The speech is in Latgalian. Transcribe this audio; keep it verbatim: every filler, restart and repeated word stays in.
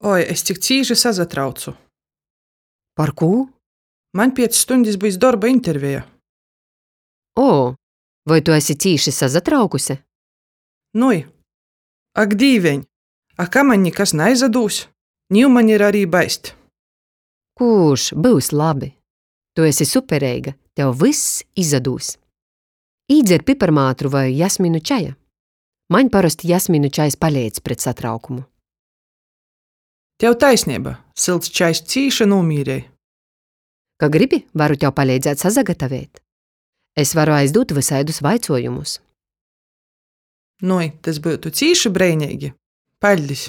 Oi, es cik cīši sasatraucu! Par kū? Maņ piec stuņdis byus dorba interveja. O, voi tu esi cīši sasatraukuse? Nui. Ak, Dīveņ! A ka maņ nikas naizadūs? Niu maņ ir ari baist. Kurš byus labi? Tu esi supereiga, tev vyss izadūs. Īdzer piparmātru voi jasminu čaja. Maņ parosti jasminu čajs paleidz pret satraukumu. Tev taisneiba, sylts čajs cīši nūmīrej. Ka gribi, varu tev paleidzēt sasagatavēt. Es varu aizdūt vysaidus vaicuojumus. Nui, tys byutu cīši breineigi. Paļdis!